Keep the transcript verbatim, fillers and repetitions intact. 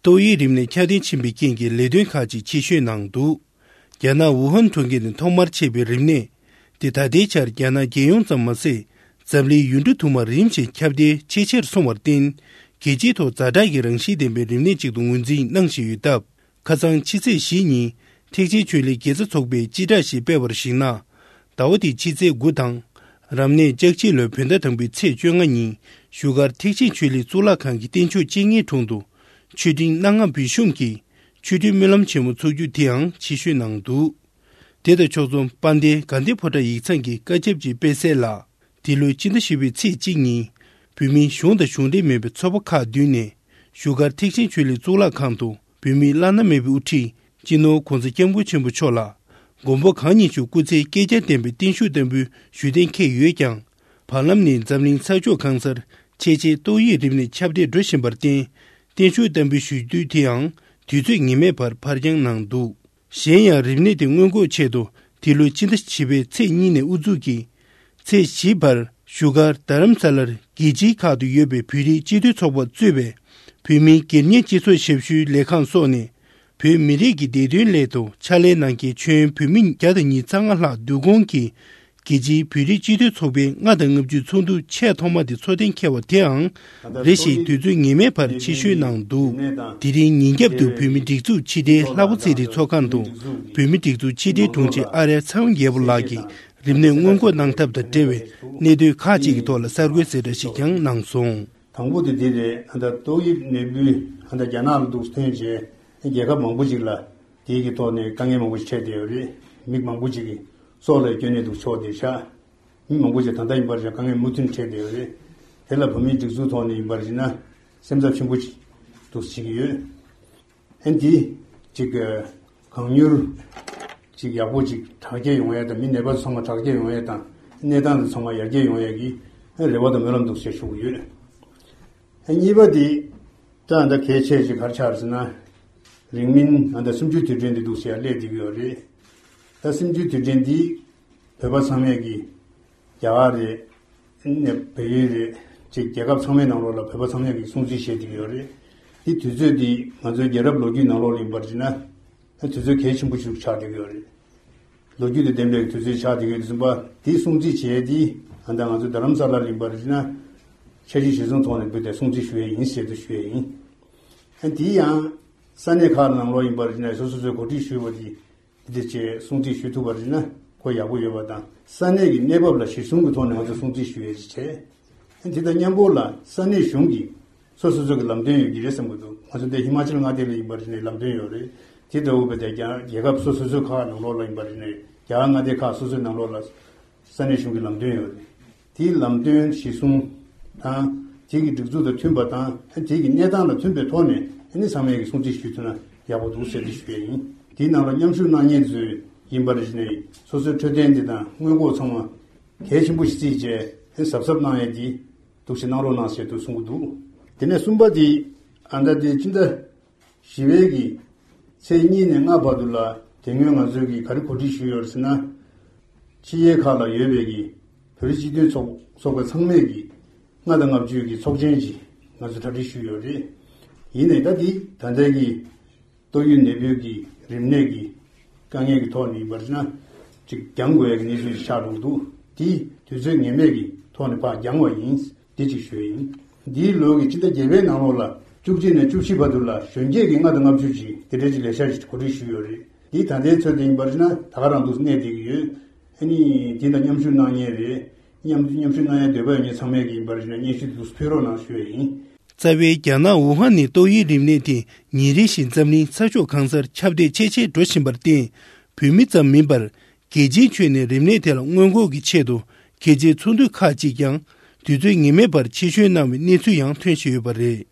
ཏོག་དབྱིབས་རིམས་ནད་ཁྱབ་གདལ་ཕྱིན་པའི་རྐྱེན་གྱིས་ལས་དོན་ཁག་ཅིག་ཕྱིར་བཤོལ་གནང་འདུག་རྒྱ་ནག་ཝུ་ཧན་གྲོང་ཁྱེར་ནས་ཐོག་མར་མཆེད་པའི་རིམས་ནད་དེ་ད་ལྟའི་ཆར་རྒྱ་ནག་རྒྱལ་ཡོངས་ཙམ་མ་ཟད། འཛམ་གླིང་ཡུལ་གྲུ་དུ་མར་རིམ་བཞིན་ཁྱབ་གདལ་ཇེ་ཆེར་སོང་བར་བརྟེན། རྒྱལ་སྤྱིའི་ཐོག་ཛ་དྲག་གི་རང་བཞིན་ལྡན་པའི་རིམས་ནད་ཅིག་ཏུ་ངོས་འཛིན་གནང་བཞིན་ཡོད་སྟབས། ཁ་སང་ཕྱི་ཚེས་བཞི་ཉིན་ཐེག་ཆེན་ཆོས་གླིང་དགེ་རྩ་ཚོགས་པས་སྤྱི་བསྒྲགས་ཤིག་སྤེལ་བར་གཞིགས་ན། ཟླ་བ་འདིའི་ཕྱི་ཚེས་དགུ་དང་། རབ་གནས་ལྕགས་བྱི་ལོའི་བོད་ཟླ་དང་པོའི་ཚེས་བཅོ་ལྔ་ཉིན་བཞུགས་སྒར་ཐེག་ཆེན་ཆོས་གླིང་གཙུག་ལག་ཁང་གི་རྟེན་མཆོག་བཅུ་གཉིས་དྲུང་དུ་མཆོད་སྤྲིན་སྣ་ལྔ་འབུལ་ཞུགས་ཀྱིས་ཆོས་འབྲེལ་སྨོན་ལམ་ཆེན་མོ་འཚོགས་རྒྱུ་དེའང་ཕྱིར་བཤོལ་གནང་འདུག་དེ་དང་ཕྱོགས་མཚུངས་དཔལ་ལྡན་དགའ་ལྡན་ཕོ་བྲང་ཡིག་ཚང་གིས་བཀའ་ཁྱབ་ཅིག་སྤེལ་གསལ་ལ། འདི་ལོའི་སྤྱི་ཟླ་བཞི་པའི་ཚེས་གཅིག་ཉིན་བོད་མིའི་གཞུང་དང་གཞུང་འབྲེལ་མིན་པའི་ཚོགས་པ་ཁག་བདུན་ནས་བཞུགས་སྒར་ཐེག་ཆེན་ཆོས་གླིང་གཙུག་ལག་ཁང་དུ་བོད་མིའི་བླ་ན་མེད་པའི་དབུ་ཁྲིད་སྤྱི་ནོར་༧གོང་ས་༧སྐྱབས་མགོན་ཆེན་པོ་མཆོག་ལ་མགོན་པོ་གང་ཉིད་མཆོག་སྐུ་ཚེའི་བསྐལ་བརྒྱར་བརྟན་པའི་བརྟན་བཞུགས་བསྟར་འབུལ་ཞུ་གཏན་འཁེལ་ཡོད་ཀྱང་། བར་ལམ་ནས་འཛམ་གླིང་ས་ཕྱོགས་གང་སར་ཆེས་ཆེར་ཏོག་དབྱིབས་རིམས་ནད་ཁྱབ་གདལ་འགྲོ་བཞིན་པར་བརྟེན། བརྟན་བཞུགས་བསྟར་འབུལ་ཞུ་དུས་དེའང་དུས་ཚོད་ངེས་མེད་བར་ཕར་འགྱངས་གནང་འདུག་གཞན་ཡང་རིམས་ནད་དེ་སྔོན་འགོག་ཆེད་དུ་འདི་ལོའི་སྤྱི་ཟླ་བཞི་པའི་ཚེས་གཉིས་ནས་དབུ་འཛུགས་ཀྱིས། ཚེས་བཞི་བར་བཞུགས་སྒར་རྡ་རམ་ས་ལར་རྒྱལ་སྤྱིའི་ཁག་ཏུ་ཡོད་པའི་བོད་རིགས་སྤྱི་མཐུན་ཚོགས་པ་གཙོས་པའི་བོད་མིའི་སྒེར་གཉེར་སྤྱི་ཚོགས་ཞབས་ཞུའི་ལས་ཁང་སོགས་ནས་བོད་མི་རིགས་ཀྱི་བདེ་དོན་སླད་དུ་ཕྱག་ལས་གནང་མཁན་ཆོས་ཡོན་བོད་མི་བརྒྱ་དང་ཉི་ཤུ་རྩ་ལྔ་ལྷག་འདུ་སྐོང་གིས། རྒྱལ་སྤྱིའི་བོད་རིགས་སྤྱི་མཐུན་ཚོགས་པའི་ལྔ་དང་ལྔ་བཅུའི་ཚོགས་འདུ་ཆེས་ཐོག་མ་དེ་ཚོགས་གཏན་འཁེལ་བ་དེའང་རེ་ཞིག་དུས་ཚོད་ངེས་མེད་བར་ཕྱིར་བཤོལ་གནང་འདུག་དེ་རིང་ཉིན་རྒྱབ་ཏུ་བོད་མིའི་སྒྲིག་འཛུགས་ཕྱི་དྲིལ་ལྷ་པ་ཚེ་རིང་ཚོགས་ཁང་དུ་བོད་མིའི་སྒྲིག་འཛུགས་ཕྱི་དྲིལ་དྲུང་ཆེ་ཨ་རལ་ཚེ་དབང་རྒྱལ་པོ་ལགས་ཀྱིས་རིམས་ནད་སྔོན་འགོག་གནང་ཐབས་དང་འབྲེལ་བའི་གནད་དོན་ཁག་ཅིག་གི་ཐོག་ལ་གསར་འགོད་གསལ་བསྒྲགས་ཤིག་ཀྱང་གནང་སོང་། དང་པོ་དེ་འདི་རེད། ཨ་ད་ཏོག་དབྱིབས་ནད་འབུ་ཨ་ད་རྒྱ་ནག་ལ་འདུག་ཐོན་རྗེས་རྒྱལ་ཁབ་མང་པོ་ཅིག་ལ་དེའི་གི་ཐོག་ནས་དཀའ་ངལ་མང་པོ་ཞིག་འཕྲད་བསྡད་ཡོད་རེད། མི་མང་པོ་ཅིག་གིས་སྲོག་ལ་སྐྱོན་ནས་འདུག་ཆོག་བསྡད་ཤག་མི་མང་པོ་ཅིག་ད་ལྟ་ཡིན་པར་བྱས་དཀའ་ངལ་མུ་མཐུད་འཕྲད་བསྡད་ཡོད་རེད། དེ་ལ་བོད་མིའི་སྒྲིག་འཛུགས་ཐོག་ནས་ཡིན་པར་བྱས་ན་སེམས་འཚབ་ཆེན་པོ་ཅིག་འདུག་བྱེད་ཀྱི་ཡོད། ཨ་འདི་ཅིག་གང་མྱུར་ཅིག་ཡག་པོ་ཅིག་དྲག་སྐྱེད་ཡོང་ཡ་དང་མི་ནད་པ་ཚང་མ་དྲག་སྐྱེད་ཡོང་ཡ་དང་གནས་སྟངས་དེ་ཚང་མ་ཡར་རྒྱས་ཡོང་ཡ་གི་རེ་བ་དང་སྨོན་ལམ་འདུག་ཞེས་ཞུ་གི་ཡོད། གཉིས་པ་དེ་ད་ད་གལ་ཆེ་ཞིག་ག་རེ་ཆགས་ཟེར་ན། རིང་མིན་ད་ལྟ་གསུམ་བཅུའི་དུས་དྲན་དེ་འདུག་ཟེར་ཡ་སླེབས་བསྡད་ཀྱི་ཡོད་རེད། ད་གསུམ་བཅུའི་དུས་དྲན་འདི་བོད་པ་ཚང་མས་ཀྱི་རྒྱ་གར་རེད། ནས་བལ་ཡུལ་རེད། ཅིག་རྒྱལ་ཁབ་ཚང་མའི་ནང་ལོགས་ལ་བོད་པ་ཚང་མས་ཀྱི་སྲུང་བརྩི་བྱེད་བསྡད་ཀྱི་ཡོད་རེད། དེ་དུས་ཚོད་འདི་ང་ཚོའི་རྒྱལ་རབས་ལོ་རྒྱུས་ནང་ལོགས་ལ་ཡིན་པར་བྱས་ན། དུས་ཚོད་གལ་ཆེན་པོ་ཞིག་ཆགས་བསྡད་ཀྱི་ཡོད་རེད། ལོ་རྒྱུས་དང་ལྡན་པའི་དུས་ཚོད་ཆགས་བསྡད་ཀྱི་ཡོད་དུས་ཙམ་པ་དེའི་སྲུང་བརྩི་བྱས་ཏེ་ཨ་ད་ང་ཚོ་རྡ་རམ་ས་ལར་ཡིན་པར་བྱས་ན་འཆར་གཞི་གཞིར་བཟུང་ཐོག་ནས་འབུལ་ཏེ་སྲུང་བརྩི་ཞུ་ཡས་ཡིན་ཟེར་དུ་ཞུ་ཡས་ཡིན། ཨ་དེ་ཡང་ས་གནས་ཁག་ནང་ལོགས་ཡིན་པར་བྱས་ན་སོ་སོ་སོའི་གོ་སྒྲིག་ཞུས་པ་དེ་དེ་བྱས་སྲུང་བརྩི་ཞུ་ཐུབ་པར་བྱས་ན་ཁོ་ཡག་པོ་ཡོད་པ་དང་ས་གནས་ཀྱི་གནས་བབ་ལ་གཞིར་བཟུང་གི་ཐོག་ནས་ང་ཚོ་སྲུང་བརྩི་ཞུ་ཡས་ཅིག་བྱས། དེ་དང་མཉམ་པོ་ལ་ས་གནས་གཞུང་གིས་སོ་སོ་སོ་གི་ལམ་སྟོན་ཡོད་ཀྱི་རེད་བསམ་གྱི་འདུག་ང་ཚོ་འདི་ཧི་མ་ཅལ་མངའ་སྡེ་ལ་ཡིན་པར་བྱས་ནས་ལམ་སྟོན་ཡོད་རེད། དེ་འདྲ་བོ་བས་ཏེ་རྒྱ་རྒྱལ་ཁབ་སོ་སོ་སོའི་ཁག་ནང་ལོགས་ལ་ཡིན་པར་བྱས་ནས་རྒྱ་གར་མངའ་སྡེ་ཁག་སོ་སོའི་ནང་ལོགས་ལ་ས་གནས་གཞུང་གི་ལམ་སྟོན་ཡོད་རེད། དེའི་ལམ་སྟོན་གཞིར་བཟུང་དང་དེ་གི་སྒྲིག་འཛུགས་དང་མཐུན་པ་དང་དེ་གི་གནས་སྟངས་ལ་མཐུན་པའི་ཐོག་ནས་ཨ་ནི་ཚང་མས་ཀྱི་སྲུང་བརྩི་ཞུས་ཐུབ་ན་ཡག་པོ་འདུག་ཟེར་ཏེ་ཞུ་ཡས་ཡིན། དེའི་ནང་ལ་མཉམ་ཞུགས་གནང་མཁན་ཚོས་ཡིན་པར་བྱས་ནས་སོ་སོའི་འཕྲོད་བསྟེན་དེ་དང་སྔོན་འགོག་ཚང་མ་གལ་ཆེན་པོ་ཞིག་བརྩིས་བྱས་གཟབ་གཟབ་གནང་ཡས་དེ་འདུག་ཞེས་གནང་རོགས་གནང་ཞེས་དུ་གསུང་གི་འདུག་དེ་ནས་གསུམ་པ་དེ་ཨ་ད་དེ་སྤྱི་ཟླ་བཞི་པའི་གི་ཚེས་གཉིས་ནས་ལྔ་བར་དུ་ལ་དེ་སྔོན་ང་ཚོས་ཀྱི་ག་རེ་གོ་སྒྲིག་ཞུས་ཡོད་ཟེར་ན། ཕྱི་རྒྱལ་ཁག་ལ་ཡོད་པའི་གི་བོད་རིགས་སྤྱི་མཐུན་ཚོགས་ཚོགས་པ་ཚང་མས་གི་ལྔ་དང་ལྔ་བཅུའི་གི་ཚོགས་ཆེན་ཅིག་ང་ཚོས་གྲ་སྒྲིག་ཞུས་ཡོད་རེད། ཡིན་ནའི་ད་དེ་ད་ལྟའི་གི་ཏོག་དབྱིབས་ནད་འབུའི་གི་རིམས་ནད་ཀྱི་དཀའ་ངལ་གྱི་ཐོག་ནས་ཡིན་པར་ན་ཅིག་འགྱངས་དགོས་ཡ་གི་གནས་ཚུལ་ཞིག་ཆགས་འགྲོ་གི་འདུག་དེ་དུས་ཚོད་ངེས་མེད་ཀྱི་ཐོག་ནས་ཕར་འགྱངས་པ་ཡིན། འདི་ཅིག་ཞུ་ཡིན། འདིའི་ལོ་གི་སྤྱི་ཟླ་བརྒྱད་པའི་ནང་ལོགས་ལ་བཅུ་གཅིག་ནས་བཅུ་བཞི་བར་དུ་ལ་གཞོན་སྐྱེས་ཀྱི་ལྔ་དང་ལྔ་བཅུ་ཅིག་དེ་འདྲའི་ཅིག་ལས་འཆར་ཞིག་གོ་སྒྲིག་ཞུས་ཡོད་རེད། འདི་ད་ལྟའི་ཚོད་དུ་ཡིན་པར་ན་ད་ག་རང་འདུག་གནས་བསྡད་ཀྱི་ཡོད། ཨ་ནི་འདི་ལ་མཉམ་ཞུགས་གནང་མཁན་རེད། མཉམ་མཉམ་ཞུགས་གནང་ཡ་འདོད་པ་ཡོད་མཁན་ཚང་མས་ཀྱི་ཡིན་པར་ན་སྙན་ཞུ་འདུག་ཕུལ་རོགས་གནང་ཞུ་ཡ་ཡིན། རྩ་བའི་རྒྱ་ནག་ཝུ་ཧན་ནས་ཏོག་དབྱིབས་རིམས་ནད་དེ་ཉིན་རེ་བཞིན་འཛམ་གླིང་ས་ཕྱོགས་གང་སར་ཁྱབ་གདལ་ཆེས་ཆེར་འགྲོ་བཞིན་པར་བརྟེན། བོད་མི་ཙམ་མིན་པར་རྒྱལ་སྤྱིའི་ཁྱོན་ནས་རིམས་ནད་དེ་ལ་སྔོན་འགོག་གི་ཆེད་དུ་རྒྱལ་སྤྱིའི་ཚོགས་འདུ་ཁག་ཅིག་ཀྱང་དུས་ཚོད་ངེས་མེད་པར་ཕྱིར་བཤོལ་གནང་བའི་གནས་ཚུལ་ཡང་ཐོན་བཞིན་ཡོད་པ་རེད།